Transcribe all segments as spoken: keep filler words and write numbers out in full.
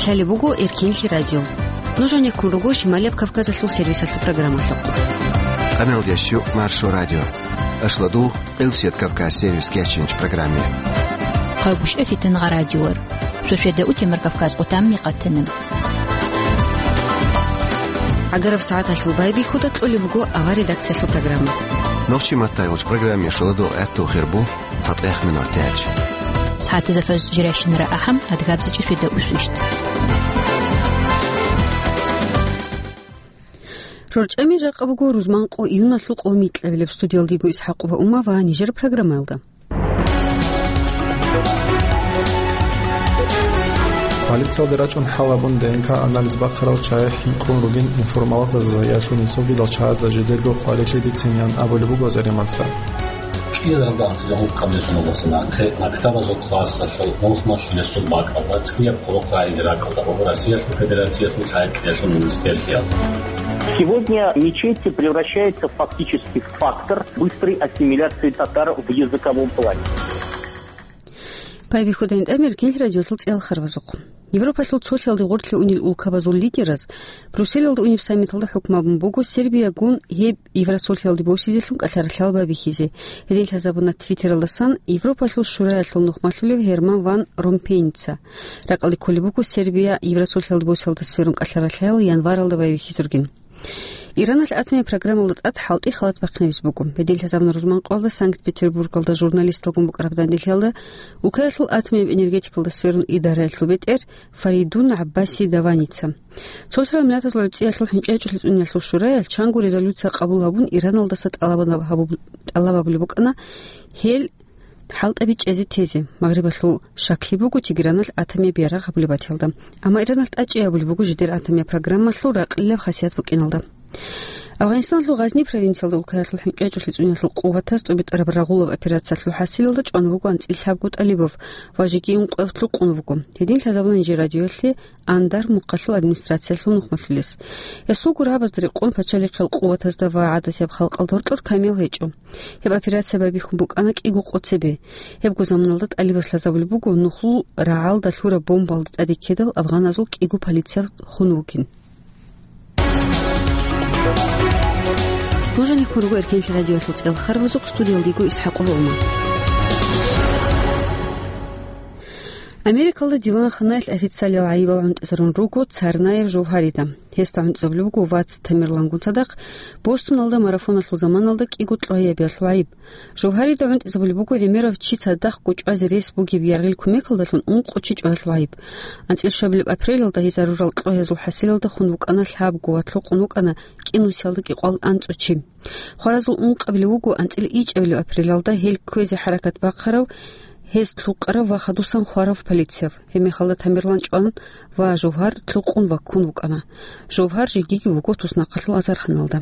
Гьале буго Эркинлъи радио. Нуж гьанеккун руго Шималияб Кавказалъул сервисалъул программалъухъ. Къаналдящу Маршо радио. Ашладу Къилсият Кавказ сервис кечинч программе. Хъагушев Фитангъа радиор. Шошеда утемар Кавказ къутамни къатана. Агараб сагӀаталъул байбихьуда кьолеб буго авар редакциялъул программа. Нохчи маттайгъулч программе шуладу гӀатту хирбу. ЦатӀех минутач. СагӀатазда фаж жирайщинара ахӀам, адгабзичӀеб шуйда усвищ. РорчӀами жакъа буго рузманкъо июналъул къо микьабилеб. Студиялдиго ИсхӀакъова Ума ва нижер программаялда. Полициялде рачӀун хӀалабун ДНК-анализ бахъарал чагӀи хӀинкъун ругин информологаздаса яхун инсулгидал чагӀазда жидерго къварилъи бицинеян абулеб буго Зареманса. КӀиялда гьанже ункъабилеб соналдаса нахъе мактабазул классалъул нухмалъулесул бакӀалда цӀияб хъулухъ рагӀизе ракӀалда буго Россиялъул Федерациялъул лъай-кьеялъул министрлъиялда. Сегодня мечеть превращается фактически в фактор быстрой ассимиляции татар в языковом плане. Байбихьуда гьитӀамир гел радиолъул цӀеял харбазухъ. Европалъул цолъиялде гъорлъе унел улкабазул лидераз Брюсселалда унеб саммиталда хӀукму гьабун буго Сербиягун гьеб Евросолъиялде босизелъун кӀалъаралъал байбихьизе. Гьедин лъазабуна Твиттералдасан Европалъул Шураялъул нухмалъулев Гьерман ван Ромпейница. Ракъалде кколеб буго Сербия Евросолъиялде босиялда сверун кӀалъаралъал январалда байбихьизургин. Ираналъ атомияб программалда тӀад хӀалтӀи халат бахъинабиз буго. Гьедин лъазабуна рузманкъоялда Санкт-Петербургалда журналисталгун букӀараб данделъиялда улкаялъул атомияб энергетикалда сверун идараялъул бетӀер Фаридун ГӀаббаси Даваница. Цолъарал Миллатазул ГӀуцӀиялъул ХӀинкъичӀолъи цӀуниялъул шураялъ чанго резолюция къабул гьабун, Ираналдаса тӀалабанаб гьабуб-, тӀалаб гьабулеб букӀана гьел хӀалтӀаби чӀезе тезе, Магърибалъул шаклъи буго Тегераналъ атомияб ярагъ гьабулеб батиялда. Амма Ираналъ тӀачӀи гьабулеб буго жидер атомияб программалъул ракълилаб хасият букӀиналда. Афганистаналъул Гъазни провинциялда улкаялъул ХӀинкъичӀолъи цӀуниялъул къуватаз тӀубитӀараб рагъулаб операциялъул хӀасилалда чӀван вуго анцӀила лъабго тӀалибав ва жеги ункъояб лъукъун вуго. Гьедин лъазабуна нижер радиоялъе Андар мухъалъул администрациялъул нухмалъулес. Гьесул гурабазда рекъон пачалихъал къуватазда ва гӀадатияб халкъалда гьоркьор камиял гьечӀо. Гьеб операция байбихьун букӀана кӀиго къо цебе. Гьебго заманалда тӀалибас лъазабулеб буго нухлул рагӀалда лъураб бомбаялда тӀаде ккедал афганазул кӀиго полицияб хун вугин. Нуж гьанеккун руго Эркенлъи радиоялъул цӀеял харбазухъ, студиялдиго ИсхӀакъова Ума. Америкалда диван-ханаялъ официалиял гӀайибал гӀунтӀизарун руго Царнаев Жовгьарида. Гьесда гӀунтӀизабулеб буго вац Тамерлангун цадахъ Бостоналда марафоналъул заманалда кӀиго кьогьябиялъул гӀайиб. Жовгьарида гӀунтӀизабулеб буго гӀемерав чи цадахъго чӀвазе рес бугеб яргъил кумекалдалъун ункъо чи чӀваялъул гӀайиб. АнцӀила щуабилеб апрелалда гьезарурал кьогьазул хӀасилалда хун вукӀана лъабго ва лъукъун вукӀана кӀинусиялда кӀикъоялда анцӀго чи. Хваразул ункъабилев вуго анцӀила ичӀабилеб апрелалда гьел кквезе хӀаракат бахъарав, гьез лъукъарав ва хадусан хварав полицияб. Гьебмехалда Тамерлан чӀван ва Жовгьар лъукъун ваккун вукӀана. Жовгьар жегиги вуго туснахъалъул азарханалда.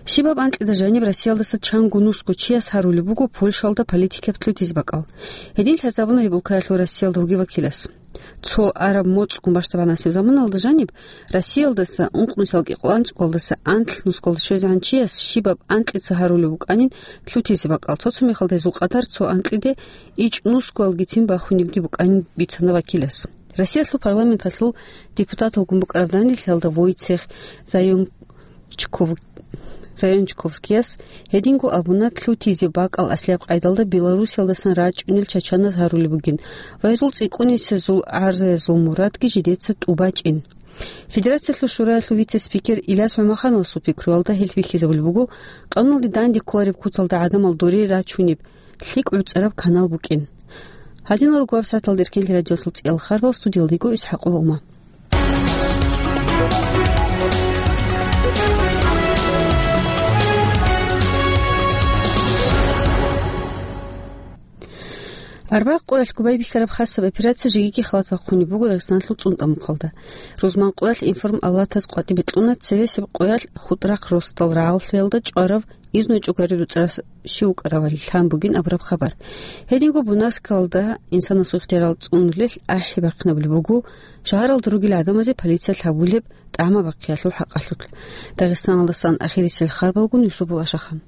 Щибаб анкьида жаниб Россиялдаса чанго нусго чияс гьарулеб буго Польшалда политикаб лъутизе бакӀал. Гьедин лъазабуна гьеб улкаялъул Россиялда вугев вакилас. Цо араб моцӀгун бащдабгӀанасеб заманалда жаниб Россиялдаса ункънусиялда кӀикъоялда анцӀгоялдаса анлънусгоялде щвезегӀан чияс щибаб анкьица гьарулеб букӀанин лъутизе бакӀал. Цо-цо мехалда гьезул къадар цо анкьиде ичӀнусгоялгицин бахунебги букӀанин бицана вакилас. Россиялъул парламенталъул депутаталгун букӀараб данделъиялда Войцех Заёнчков-, Заёнчковскияс гьединго абуна, лъутизе бакӀал аслияб къайдалда Белоруссиялдасан рачӀунел чачаназ гьарулеб бугин ва гьезул цӀикӀкӀунисезул гӀарзаязул мурадги жидеца тӀубачӀин. Федерациялъул Шураялъул вице-спикер Иляс ГӀумахановасул пикруялда гьелъ бихьизабулеб буго, къануналде данде кколареб куцалда гӀадамал доре рачунеб лъикӀ гӀуцӀараб канал букӀин. Гьадинал руго гьаб сагӀаталда Эркенлъи радиоялъул цӀеял харбал, студиялдиго ИсхӀакъова Ума. Арбагъ къоялъго байбихьараб хасаб операция жегиги халат бахъунеб буго Дагъистаналъул ЦӀунтӀа мухъалда. Рузман къоялъ информалатаз къватӀибе кьуна цевесеб къоялъ ХутӀрахъ росдал рагӀаллъуялда чӀварав изну чӀугариб дуцӀарас щив вукӀаравали лъан бугин абураб хабар. Гьединго Бунаскалда инсанасул ихтиярал цӀунулел ахӀи бахъинабулеб буго шагьаралда ругел гӀадамазе полициялъ гьабулеб тӀагӀма бахъиялъул хӀакъалъулъ. Дагъистаналдасан ахирисел харбалгун Юсупов Ашахан.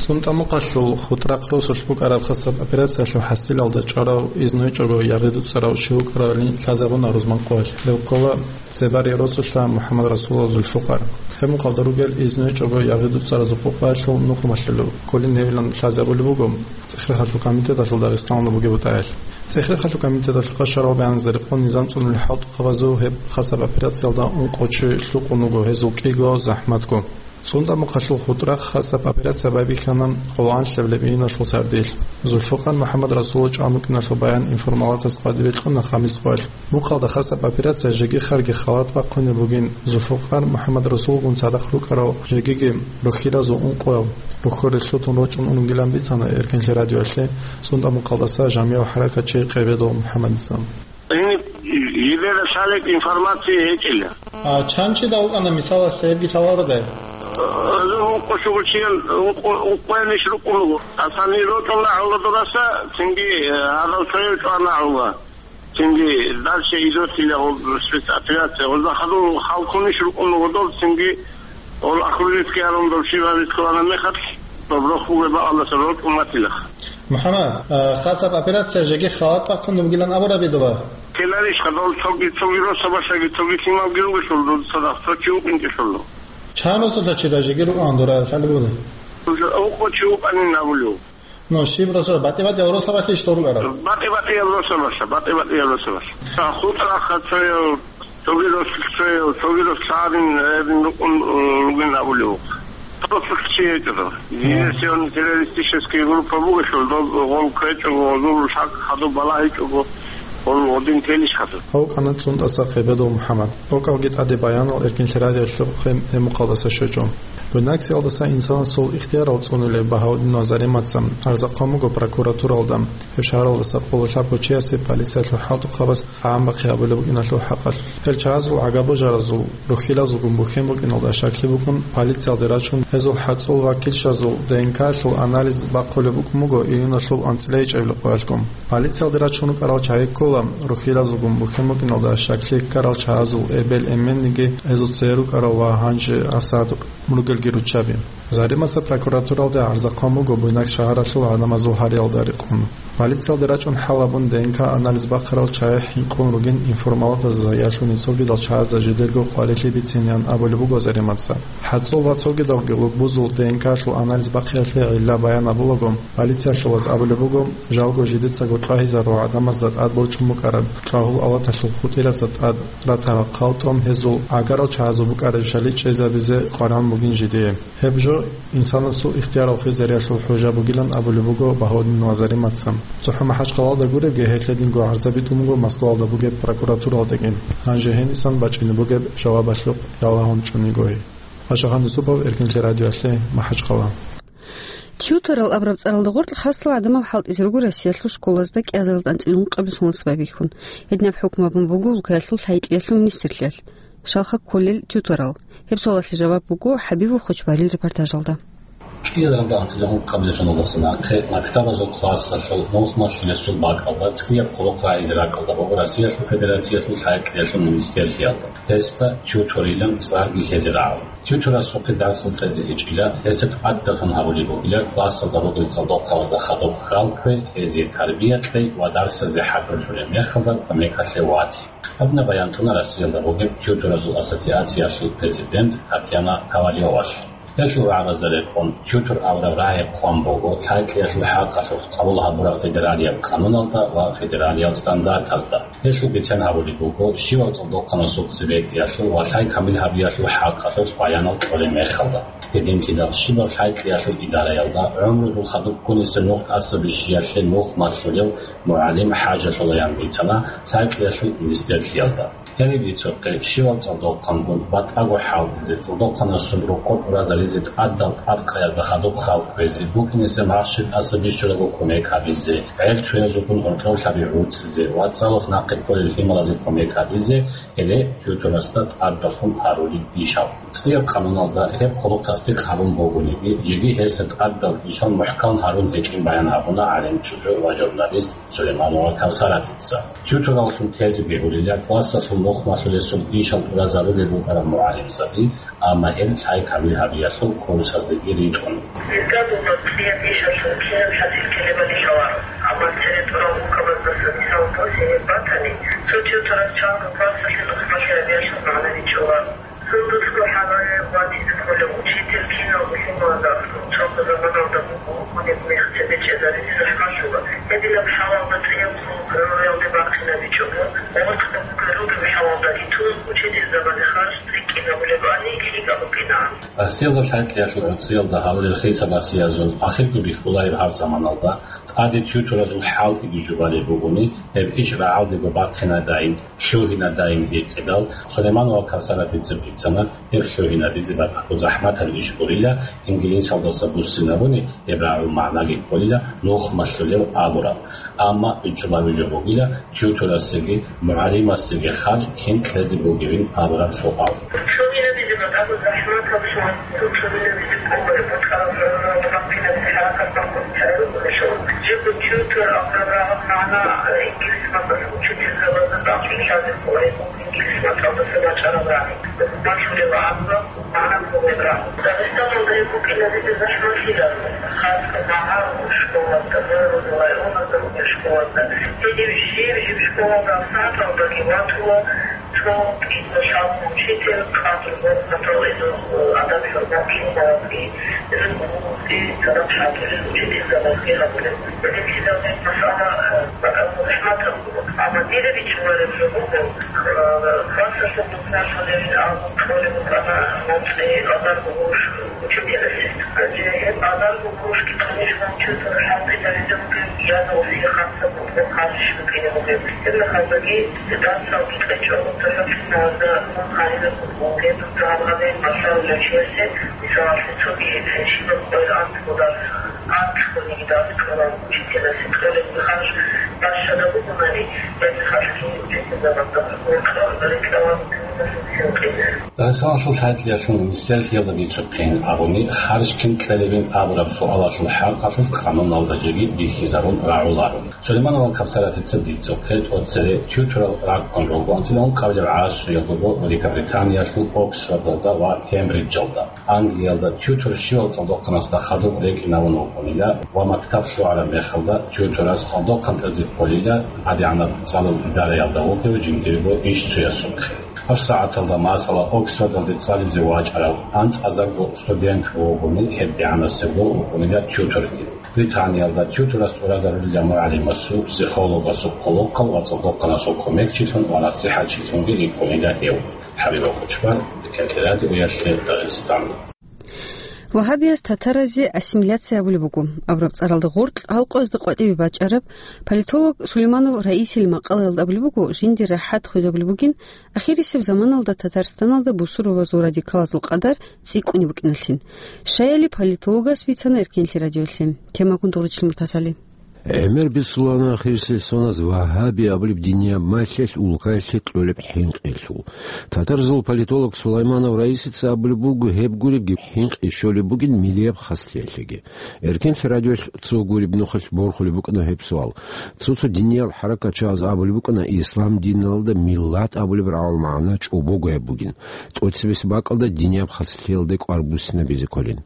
СунтӀа-Мухъалъул ХутӀрахъ росулъ букӀараб хасаб операциялъул хӀасилалда чӀварав, изну гьечӀого ягъи дуцӀарав чи вукӀаралин лъазабуна рузман къоялъ. Гьев ккола Цебари росулъа МухӀаммад-Расулов Зулфукъар. Гьеб мухъалда ругел изну гьечӀого ягъи дуцӀаразул къокъаялъул нухмалъулев кколин гьевилан лъазабулеб буго ЦӀехрехалъул комитеталъул Дагъистаналда бугеб бутӀаялъ. ЦӀехрехалъул комитеталъул къашарал бегьанизда рекъон низам цӀунулел хӀалтӀухъабазул гьеб хасаб операциялда ункъо чи лъукъун вуго, гьезул кӀиго захӀматго. СунтӀа-Мухъалъул ХутӀрахъ хасаб операция байбихьана къоло анлъабилеб июналъул сардилъ. Зулфукъар МухӀаммад-Расулов чӀван букӀиналъул баян информалатас къватӀибе кьуна хамис къоялъ. Мухъалда хасаб операция жеги-харги халат бахъунеб бугин, Зулфукъар МухӀаммад-Расулгун цадахъ рукӀарал жегиги рухьилазул ункъоял рухьоре лъутун рочӀун унгилан бицана Эркенлъи радиоялъе СунтӀа-Мухъалдаса жамияв хӀаракатчи Къебедов МухӀаммадица. Гьениб жибера лъалеб информация гьечӀила. А чанчидал вукӀана, мисалалъе, гьебги лъалародай? Гьезул ункъо щугучиял, ункъо, ункъоялищ рукӀун руго. Асани рокьула гӀолодураса, цинги, э, гьадав цояв чӀвана гӀола. Цинги дальше идотила гьоб спецоперация. Гьозда хадур халкунищ рукӀун руго дол, цинги гьол Ахрулинский гьарун дов шиварис кколана мехалъ, доб рохь бугеб бакӀалдаса рокьун ватилаха. МухӀаммад, а, хасаб операция жеги халат бахъун бугилан абураби дуба? Ккеларищха дол цоги, цоги росабалъаги, цоги лъималги ругелъул, дуда цадахъ цо чи вукӀинчӀелъул? Чан росулъа чира жеги рукӀан дура лъалеб бугеб? Уже ункъо чи вукӀанин абулев. Ну, щиб росо-, батӀи-батӀиял росабалъи иш дорулара? БатӀи-батӀиял росабалъа, батӀи-батӀиял росабалъа. ХутӀрахъа цояв, цоги рос цояв, цоги рос лъагӀалин гьедин рукӀун, э, ругин абулев вукӀа. Просто чи гьечӀо. Диверсионно-террористический группа бугелъул, дол гъол ккечӀого, гъозул хӀакъ хадуб балагьичӀого, гъол гъодин телищ хадуб. Гьав кӀана ЦунтӀаса Къебедов МухӀаммад. ТӀокӀалги тӀаде баянал Эркенлъи радиоялъухъе гьеб мухъалдаса щвечӀо. Буйнаксиялдаса инсанасул ихтиярал цӀунулев Багьаудинов Заремаца гӀарзахъан буго прокуратуралда, гьеб шагьаралдаса къоло лъабго чиясе полициялъул хӀалтӀухъабаз гӀамбахъи гьабулеб букӀиналъул хӀакъалъулъ. Гьел чагӀазул гӀага-божаразул, рухьилазулгун бухьен букӀиналда щаклъи букӀун, полициялде рачун, гьезул хӀацӀул ва килщазул ДНК-лъул анализ бахъулеб букӀун буго июналъул анцӀила ичӀабилеб къоялъгун. Полициялде рачун рукӀарал чагӀи ккола, рухьилазулгун бухьен букӀиналда щаклъи ккарал чагӀазул эбел-эменниги, гьезул цее рукӀарал ва гьанже гьабсагӀат ругелги руччаби. Заремаца прокуратуралде гӀарзахъан буго Буйнакск шагьаралъул гӀадамазул гьариялда рекъон. Полициялде рачӀун хӀал гьабун, ДНК анализ бахъарал чагӀи хӀинкъун ругин информалатазда яхӀлъун цогидал чагӀазда жидерго къварилъи бицинеян абулеб буго Заремаца. ХӀацӀул ва цогидалги лугбузул ДНК-лъул анализ бахъиялъе гӀилла баян гьабулаго, полициялъулаз абулеб буго, жалго жидецаго чӀвагьизарул гӀадамазда тӀад борчун букӀараб чӀвагьул авлаталъул хутӀилазда тӀад ратарал хъалтӀун гьезул гӀагарал чагӀазул букӀарабщали чӀезабизе къваригӀун бугин жидее. Гьеб жо инсанасул ихтиярал хвезариялъул хӀужа бугилан абулеб буго Багьаудинов Заремаца. ЦохӀо МахӀачхъалалда гуребги, гьелъ гьединго гӀарзаби тӀун буго Москваялда бугеб прокуратуралдагин. Гьанже гьенисан бачӀине бугеб жавабалъухъ ялагьун чӀунигойи. Ашахан Юсупов, Эркенлъи радиоялъе, МахӀачхъала. Тьюторал абураб цӀаралда гъоркь хасал гӀадамал хӀалтӀизе руго Россиялъул школазда кӀиазаралда анцӀила ункъабилеб соналъ байбихьун. Гьединаб хӀукму гьабун буго улкаялъул лъай-кьиялъул министрлъиялъ. Щалха кколел тьюторал? Гьеб суалалъе жаваб буго ХӀабибов Хочбарил репортажалда. КӀиазаралда анцӀила ункъабилеб соналдаса нахъе мактабазул классалъул нухмалъулесул бакӀалда цӀияб хъулухъ рагӀизе ракӀалда буго Россиялъул Федерациялъул лъай-кьиялъул министрлъиялда. Гьесда тьюторилан цӀарги лъезе рагӀула. Тьюторасухъе дарсал кьезе гьечӀила, гьесда тӀадалъун гьабулеб бугила классалда ругел цӀалдохъабазда хадуб хал ккве, гьезие тарбия кьей ва дарсазде хӀакъалъулеб мехалда кумекалъе ватизе. Гьабна баян кьуна Россиялда бугеб тьюторазул ассоциациялъул президент Татьяна Ковалевалъ. Гьелъул рагӀабазда рекъон, тьютор абураб рагӀи хъван буго лъай-кьиялъул хӀакъалъулъ къабул гьабураб федералияб къануналда ва федералияб стандартазда. Гьелъул бицен гьабулеб буго, щивав цӀалдохъанасухъ цебетӀиялъул ва лъай камил гьабиялъул хӀакъалъулъ баянал кьолеб мехалда. Гьединлъидал щибаб лъай-кьиялъул идараялда гӀумрудул хадуб ккунесе нух тӀаса бищиялъе нухмалъулев мугӀалим хӀажалъулаян бицана лъай-кьиялъул министрлъиялда. Гьениб бицухъе, щивав цӀалдохъангун батӀаго хӀалтӀизе, цӀалдохъанасул рокъор уразаризе тӀадал тӀадкъаязда хадуб хал кквезе, букӀине-, се махщел тӀаса бищулаго кумек гьабизе, гӀел чуязулгун гьоркьов лъаби гӀуцизе ва цӀалулъ нахъе кколел лъималазе кумек гьабизе, гьеле тьюторасда тӀадалъун гьарулеб ишал. ЦӀияб къануналда гьеб хъулухъ тасдикъ гьабун бугониги, жеги гьесда тӀадал ишал мухӀкан гьарун гьечӀин баян гьабуна гӀалимчӀужу ва журналист Сулейманова Кавсаратица. Тьютораллъун тезе бегьулила классалъул Нухмалъулесул ишал тӀуразарулел рукӀарал мугӀалимзаби, амма гьел лъай-камил гьабиялъул курсаздеги ритӀун. Гьезда дугьал кьияб ишалъул кинаб хӀасил ккелебали лъаларо, амма цере тӀурал рукабаздаса мисал босизе батани, цо тӀутӀурас чанго классалъе нухмалъи гьабиялъул магӀна бичӀчӀуларо. Сундулъго хӀалале ватизе кколев учитель киналго лъималазда аслу чӀахъу заманалда буго, гьеб мех цебе чӀезаризе захӀмалъула. Гьединаб хӀалалда цӀияб хъулухъ гӀумруялде бахъинабичӀого, гъоркьда бугел ругеб хӀалалда ритун, учительзабазе харж цӀикӀкӀинабулебали лъикӀаб букӀинаан. Россиялда лъай-кьиялъул гӀурцӀиялда гьарулел хисабасиязул ахирго бихьулареб гьаб заманалда тӀаде тӀутӀуразул хӀалтӀиги жубалеб бугони, гьеб иш рагӀалдего бахъинадайин, лъугьинадайин гьикъидал, Сулейманова Кавсаратица бицана, гьеб лъугьинабизе батӀаго захӀматаб иш гурила, ингилисалдаса буссинабуни гьеб рагӀул магӀнаги кколила нухмалъулев абураб. Амма бичӀчӀулаби жо бугила, тӀутӀурасеги мугӀалимасеги харж кин кьезе бугебин абураб суал. Лъугьинабизе батӀаго захӀматаб суал. Лъугьинабизе кколеб бутӀараб рагӀулалда бахъинаби хӀаракат бахъун хӀарарукӀунелъул, жибго тӀутӀур абураб рагӀул магӀна ингилис мацӀалъ учительзабазда тӀахъиблъазе кколеб. Ингилис мацӀалдаса бачӀараб рагӀи, малъулеб абураб магӀна кколеб рагӀи. Дагъистаналда гьеб букӀинабизе захӀмалъиларо, хасго магӀарул школазда, гӀурузул районазда ругел школазда. Гьедин жиб-жиб школазда сагӀаталдаги ватула цо кӀиго-лъабго учитель, къадру-хӀурматал гьезул, адаб-хӀурмат лъун балагьги, гьезул гурузги, цадахъ хӀалтӀулел учительзабазги гьабулеб. Гьединлъидал гьеб масъала, э, бакӀалда захӀматаб буго. Амма дида бичӀчӀулареб жо буго, э, классалъул нухмалъулебин абун кьолеб букӀана нуцӀи азарго гъурущ учителасе. Гьанже гьеб азарго гъурущги, конечно, учитель хӀалтӀизаризе бугеб, я нугӀлъи хасаб букӀун харжищ букӀине бугеб. Гьеб мехалдаги дарсалги кьечӀого, цохӀо киналда мун гьаринаб букӀун, гьеб гьаргъабе, масала, нучиясе, мисалалъе, цоги щибаб къойил анцӀго дарс, анцӀгониги дарс кьолан учителасе кьолеб харж бащада бугонани, гьеб мехалъги учительзабазда гьоркьор рекӀелъ вугин. Дагъистаналъул лъай-кьиялъул министерствоялда бицухъин абуни, харж кин кьелебин абураб суалалъул хӀакъалъулъ къануналда жеги бихьизарун рагӀуларо. Сулейманова Кавсаратица бицухъе, тӀоцере тӀутӀурал ракӀкӀун руго анцӀила ункъабилеб гӀасруялда Великобританиялъул Оксфордалда ва Кембриджалда. Англиялда тӀутӀур щивал цӀалдохъанасда хадуб рекӀинавун вукӀунила ва мактаб лъугӀараб мехалда тӀутӀурас цӀалдохъан кьезе кколила гӀадигӀанаб цӀалул идараялда вугев жиндирго ишцоясухъе. ГьабсагӀаталда, масала, Оксфордалде цӀализе вачӀарав анцӀазарго студент вугони, гьеб дигӀанасебго вукӀунила тӀутӀурги. Британиялда тӀутӀурас тӀуразарулила мугӀалимасул, психологасул хъулухъал ва цӀалдохъанасул кумекчилъун ва насихӀатчилъунги рикӀкӀунила гьев. ХӀабиб Кучман, Диканти радиоялъе, Дагъистан. Вагьабияз татаразе ассимиляция абулеб буго абураб цӀаралда гъоркь гьалкъоязда къватӀибе бачӀараб политолог Сулейманов Раисил макъалаялда абулеб буго, жиндир рахӀат хвезабулеб бугин, ахирисеб заманалда Татарстаналда бусурбабазул радикалазул къадар цӀикӀкӀунеб букӀиналъин. Щаяли политологас бицана Эркенлъи радиолъе. Темагун дугӀручилин муртасали. ГӀемер бицулаан ахирисел соназ вагьаби абулеб динияб малъалъ улкаялъе кьолеб хӀинкъиялъул. Татарзул политолог Сулайманов Раисица абулеб буго, гьеб гуребги хӀинкъи щолеб бугин миллияб хаслъиялъеги. Эркенлъи радиоялъ цо гуреб нухалъ борхулеб букӀана гьеб суал. Цо-цо диниял хӀаракатчияз абулеб букӀана, ислам диналда миллат абулеб рагӀул магӀна чӀобого гьеб бугин, тӀоцебесеб бакӀалда динияб хаслъиялде кӀвар буссинабизе кколин.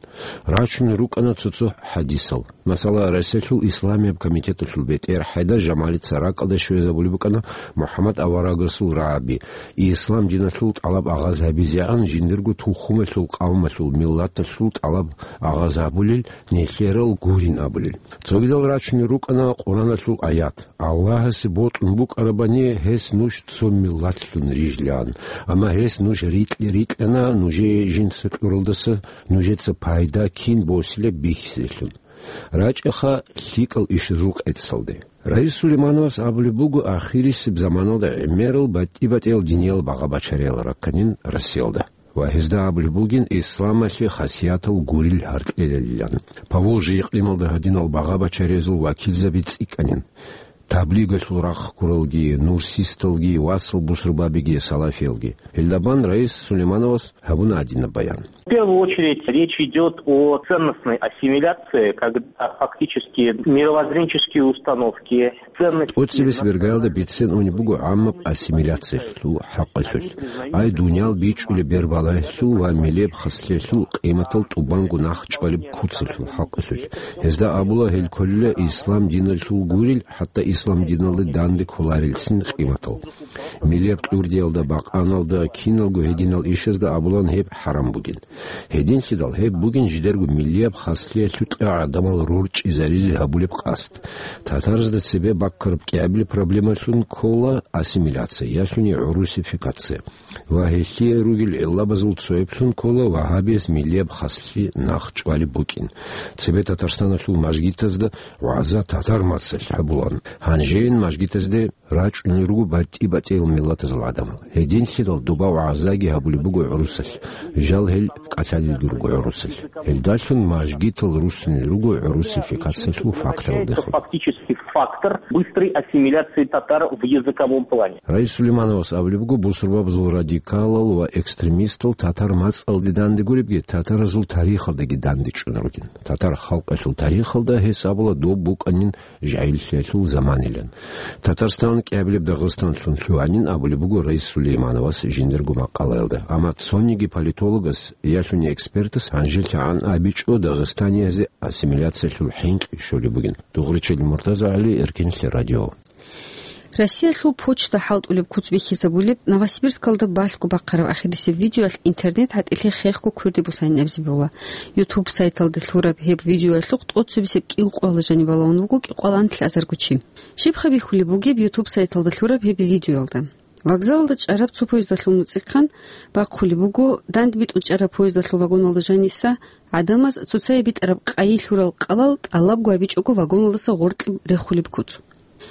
Рачун рукӀана цо-цо хӀадисал. Масала, Россиялъул исламияб комитеталъул бетӀер ХӀайдар Жамалица ракӀалде щвезабулеб букӀана МухӀаммад аварагасул рагӀаби, ислам диналъул тӀалаб агъаз гьабизегӀан жиндирго тухумалъул, къавмалъул, миллаталъул тӀалаб агъаз гьабулел, нилъерал гурин абулел. Цогидал рачунел рукӀана Къуръаналъул аят: «Аллагьасе бокьун букӀарабани, гьес нуж цо миллатлъун рижлъан. Амма гьес нуж рикь-, рикьана нужее жинца кьуралдаса, нужеца пайда кин босилеб бихьизелъун». РачӀеха лъикӀал ишазул къецалде. Раис Сулеймановас абулеб буго, ахирисеб заманалда гӀемерал батӀи-батӀиял диниял багъа-бачариял ракканин Россиялда. Ва гьезда абулеб бугин исламалъе хасиятал гурил гьаркьелилан. Поволжье икълималда гьадинал багъа-бачариязул вакилзаби цӀикӀкӀанин. Таблигалъул рахъ гуралги, нурсисталги, васал бусурбабиги, салафиялги. Гьелдабан Раис Сулеймановас гьабуна гьадинаб баян. В первую очередь речь идёт о ценностной ассимиляции, когда фактически мировоззренческие установки, ценности... ТӀоцебесеб иргаялда бицен унеб буго гӀаммаб ассимиляциялъул хӀакъалъулъ, ай дуниял бичӀчӀулеб бербалаялъул ва милияб хаслъиялъул къиматал тӀубанго нахъ чӀвалеб куцалъул хӀакъалъулъ. Гьезда абула, гьел кколила ислам диналъул гурел, хӀатта ислам диналда данде кколарелцин къиматал. Милияб кьурдиялда, бакъаналда, киналго гьединал ишазда абулан гьеб хӀарам бугин. Гьединлъидал гьеб бугин жидерго милияб хаслъиялъукьа гӀадамал рорчӀизаризе гьабулеб къасд. Татарзда цебе баккараб кӀиабилеб проблемалъун ккола ассимиляция, ялъуни русификация. Ва гьелъие ругел гӀиллабазул цояблъун ккола вагьабияз милияб хаслъи нахъ чӀвалеб букӀин. Цебе Татарстаналъул мажгитазда вагӀза татар мацӀалъ гьабулан. Гьанжейин мажгитазде рачӀунел руго батӀи-батӀиял миллатазул гӀадамал. Гьединлъидал доба вагӀзаги гьабулеб буго гӀурусалъ. Жал гьел кӀалъалелги руго гӀурусалъ. Гьелдалъун мажгитал руссунел руго русификациялъул факторалдехун. Фактический фактор быстрой ассимиляции татар в языковом плане. Раис Сулеймановас абулеб буго, бусурбабазул радикалал ва экстремистал татар мацӀалде данде гуребги, татаразул тарихалдаги данде чӀун ругин. Татар халкъалъул тарихалда гьес абула доб букӀанин жагьиллъиялъул заманилан. Татарстан кӀиабилеб Дагъистанлъун лъугьанин абулеб буго Раис Сулеймановас жиндирго макъалаялда. Амма цониги политологас, ялъуни экспертас гьанжелъагӀан абичӀо дагъистаниязе ассимиляциялъул хӀинкъи щолеб бугин. Дугъричил Муртазагьали, Эркинлъи радио. Россиялъул почта хӀалтӀулеб куц бихьизабулеб Новосибирскалда балъго бахъараб ахирисеб видеоялъ интернет гӀатӀилъи хехго кверде босанин абизе бегьула. YouTube сайталда лъураб гьеб видеоялъухъ тӀоцебесеб кӀиго къоялда жаниб балагьун вуго кӀикъоялда нилъ азарго чи. Щибха бихьулеб бугеб YouTube сайталда лъураб гьеб видеоялда? Вокзалалда чӀараб цо поездалъул нуцӀихъан бахъулеб буго, данде битӀун чӀараб поездалъул вагоналда жаниса гӀадамаз цоцае битӀараб къайи лъурал кӀалал тӀалабго абичӀого вагоналдаса гъоркье рехулеб куц.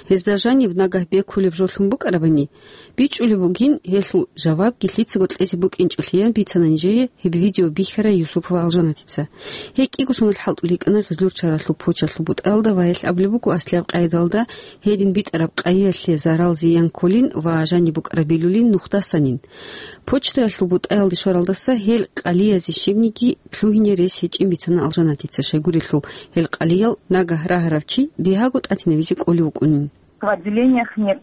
Гьезда жаниб нагагь бекулеб жолъун букӀарабани, бичӀчӀулеб бугин, гьелъул жавабги лъицаго кьезе букӀинчӀолъиян бицана нижее гьеб видео бихьарай Юсупова Алжанатица. Гьей кӀиго соналъ хӀалтӀулел йикӀана Гъизлур чаралъул почталъул бутӀаялда ва гьелъ абулеб буго аслияб къайдалда гьедин битӀараб къайиялъе зарал-зиян кколин ва жаниб букӀараб билулин нухдасанин. Почтаялъул бутӀаялде щваралдаса гьел къалиязе щибниги лъугьине рес гьечӀин бицана Алжанатица, щайгурелъул гьел къалиял нагагь рагьарав чи бигьаго тӀатинабизе кӀолев вукӀунин. В отделениях нет.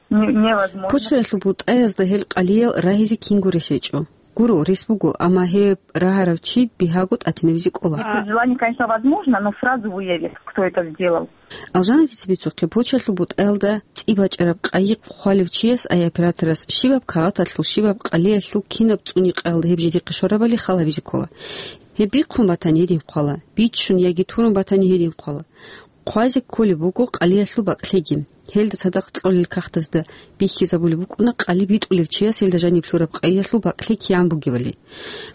Не-, невозможно. Почтаялъул бутӀаязда гьел къалиял рагьизе кинго рес гьечӀо. Гуро, рес буго, амма гьеб рагьарав чи бигьаго тӀатинабизе кӀола. Если желание, конечно, возможно, но сразу выявить, кто это сделал. Алжанатица бицухъе, почтаялъул бутӀаялда цӀи бачӀараб къайи хъвалев чияс, ай операторас, щибаб кагъаталъул, щибаб къалиялъул, кинаб цӀуникъаялда гьеб жидехъе щварабали хал гьабизе ккола. Гьеб бихъун батани, гьедин хъвала. Биччун яги турун батани, гьедин хъвала. Хъвазе кколеб буго къалиялъул бакӀлъиги. Гьелда цадахъ кьолел кагътазда бихьизабулеб букӀуна къали битӀулев чияс гьелда жаниб лъураб къайиялъул бакӀлъи кигӀан бугебали.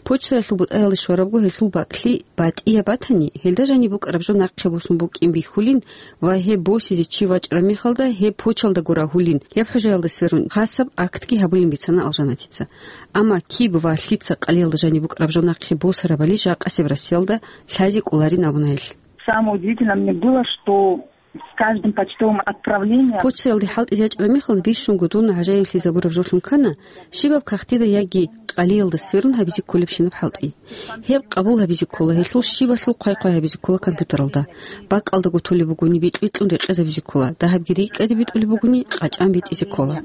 Почтаялъул бутӀаялде щварабго гьелъул бакӀлъи батӀияб батани, гьелда жаниб букӀараб жо нахъе босун букӀин бихьулин ва гьеб босизе чи вачӀараб мехалда гьеб почталдаго рагьулин, гьеб хӀужаялда сверун хасаб актги гьабулин бицана Алжанатица. Амма киб ва лъица къалиялда жаниб букӀараб жо нахъе босарабали жакъасеб Россиялда лъазе кӀоларин абуна гьелъ. Самое удивительное мне было, что с каждым почтовым отправлением... Почтаялде хӀалтӀизе ячӀараб мехалда бищунго дун гӀажаиблъизабураб жолъун ккана, щибаб кагътида яги къалиялда сверун гьабизе кколебщинаб хӀалтӀи. Гьеб къабул гьабизе ккола, гьелъул щибалъул хъвай-хъвай гьабизе ккола компьютералда. БакӀалдаго толеб бугони, битӀ-битӀун рекъезабизе ккола, дагьабги рикӀкӀаде битӀулеб бугони, къачӀан битӀизе ккола.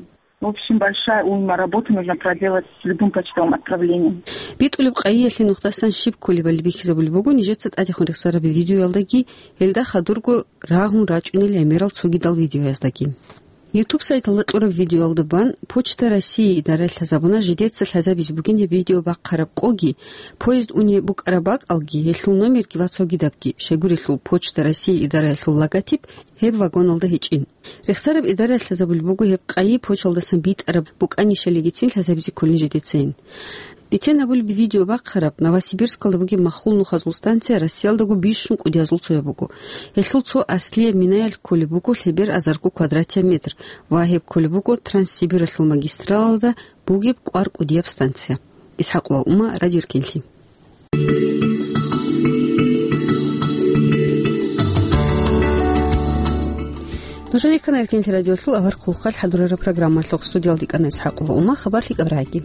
В общем, большая уйма работы нужно проделать с любым почтовым отправлением. БитӀулеб къайиялъе нухдасан щиб кколебали бихьизабулеб буго нижеца тӀадехун рехсараб видеоялдаги, гьелда хадурго рагьун рачӀунел гӀемерал цогидал видеояздаги. YouTube сайталда кьураб видеоялда бан Почта России идараялъ лъазабуна жидеца лъазабизе бугин гьеб видео бахъараб къоги, поезд уни букӀараб бакӀалги, гьелъул номерги ва цогидабги, щайгурелъул Почта России идараялъул логотип гьеб вагоналда гьечӀин. Рехсараб идараялъ лъазабулеб буго гьеб къайи почталдасан битӀараб букӀанищалигицин лъазабизе кколин жидецайин. Бицен гьабулеб видео бахъараб Новосибирскалда бугеб махлул нухазул станция Россиялдаго бищун кӀудиязул цояб буго. Гьелъул цо аслияб минаялъ кколеб буго лъебер азарго квадратия метр ва гьеб кколеб буго Транссибиралъул магистралалда бугеб кӀвар кӀудияб станция. Исхакова Ума, Радио Эркинлъи. Нужеде ккана Эркинлъи радиолъул авар хъулухъалъ хӀадурараб программалъухъ. Студиялда кӀана Исхакова Ума, хабар лъикӀаб рагӀи.